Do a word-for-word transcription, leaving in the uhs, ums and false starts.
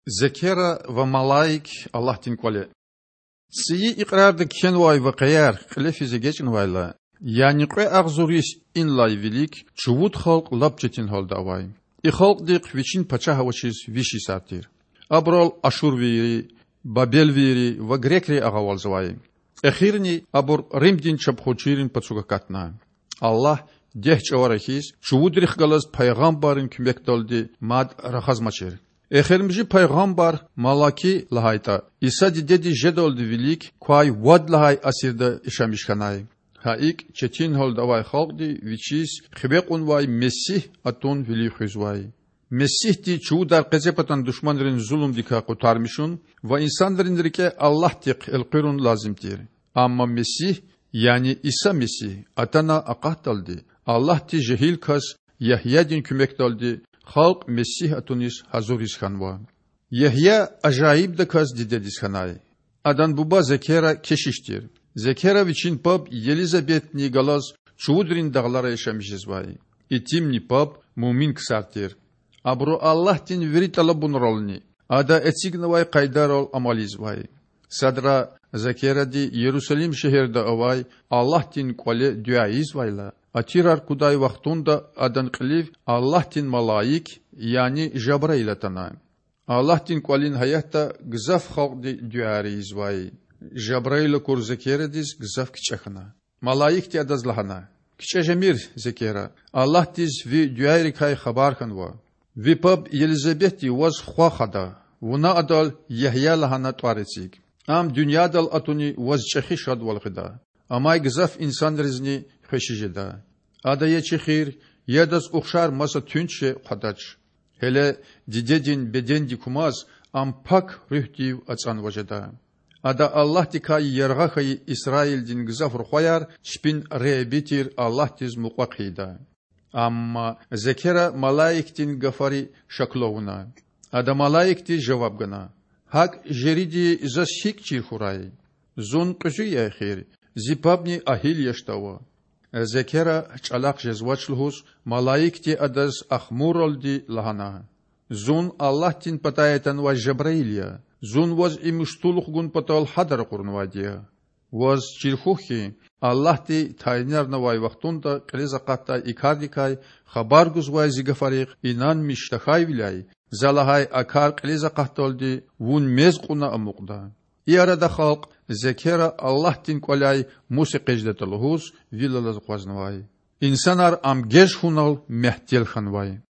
Зекера ва малаик Аллагьдин кІвале. ЦІийи Икьрарда кхьенвай вакъияр кьиле физ эгечІнавайла, яни кьве агъзур йис инлай вилик чувуд халкь лап четин гьалда авай. И халкьдихъ вичин пачагь авачиз виш йисар тир. Абурал ашурвийри, бабелвийри ва грекри агъавалзавай. Эхирни абур Римдин чапхунчийрин пацук акатна. Аллагь, дегь чІавара хьиз, чувудрихъ галаз пайгъамбаррин куьмекдалди мад рахазмачир. Эхиримжи пайгъамбар Малаки лагьайтІа, Иса дидедиз жедалди вилик квай вад лагьай асирда яшамиш хьанай. Гьа икІ, четин гьалда авай халкьди вичиз хиве кьунвай Месигь атун вилив хуьзвай. Месигьди чувудар къецепатан душманрин зулумдикай къутармишун ва инсанрин рикІе Аллагьдихъ элкъуьрун лазим тир. Амма Месигь, яни Иса Месигь атана акъатдалди, Аллагьди жегьил кас Ягьядин куьмекдалди халкь Месигь атуниз гьазуриз хьанва. Ягья ажаибдаказ дидедиз хьанай. Адан буба Зекера кешиш тир. Зекера вичин паб Елизабетни галаз чувудрин дагълара яшамиш жезвай. Итимни паб муъмин ксар тир. Абуру Аллагьдин вири тІалабунрални Ада эцигнавай къайдайрал амал ийизвай. Садра Зекеради Ярусалим шегьерда авай Аллагьдин кІвале дуьа ийизвайла, атирар кудай вахтунда адан кьилив Аллагьдин малаик, яни Жабраил атана. Аллагьдин кІвалин гьаятда гзаф халкьди дуьаяр ийизвай. Жабраил акур Зекерадиз гзаф кичІе хьана. Малаикди адаз лагьана: КичІе жемир, Зекера, Аллагьдиз ви дуьайрикай хабар хьанва. Ви паб Елизабетди ваз хва хада, вуна адал Ягья лагьана тІвар эциг. Ам дуьньядал атуни ваз чІехи шадвал гъида. Амай гзаф инсанризни хвеши жеда. Ада я чехир, я адаз ухшар маса туьнт шей хъвадач. Гьеле дидедин бедендик кумаз, ам Пак Руьгьдив ацІанва жеда. Ада Аллагьдикай яргъа хьайи Исраилдин гзаф рухваяр чпин Худа тир Аллагьдиз мукьва хъийида. Амма Зекера малаикдин гафари шаклу авуна. Ада малаикдиз жаваб гана: ГьакІ жериди заз гьикІ чир хьурай? Зун кьуьзуь я эхир, зи пабни агьил яшда ава. Зекера чІалахъ жезвач лугьуз, малаикди адаз ахмуралди лагьана: Зун Аллагьдин патай атанвай Жабраил я. Зун ваз и муштулух гун патал гьада ракъурнавайди я. Ваз чир хьухь хьи, Аллагьди тайинарнавай вахтунда кьилиз акъатдай и кардикай хабар гузвай зи гафарихъ инанмиш тахьайвиляй, за лагьай а кар кьилиз акъатдалди вун мез кьуна амукьда. И арада халкь Зекера Аллагьдин кІваляй мус экъечІдатІа лугьуз вил алаз акъвазнавай. Инсанар ам геж хьунал мягьтел хьанвай.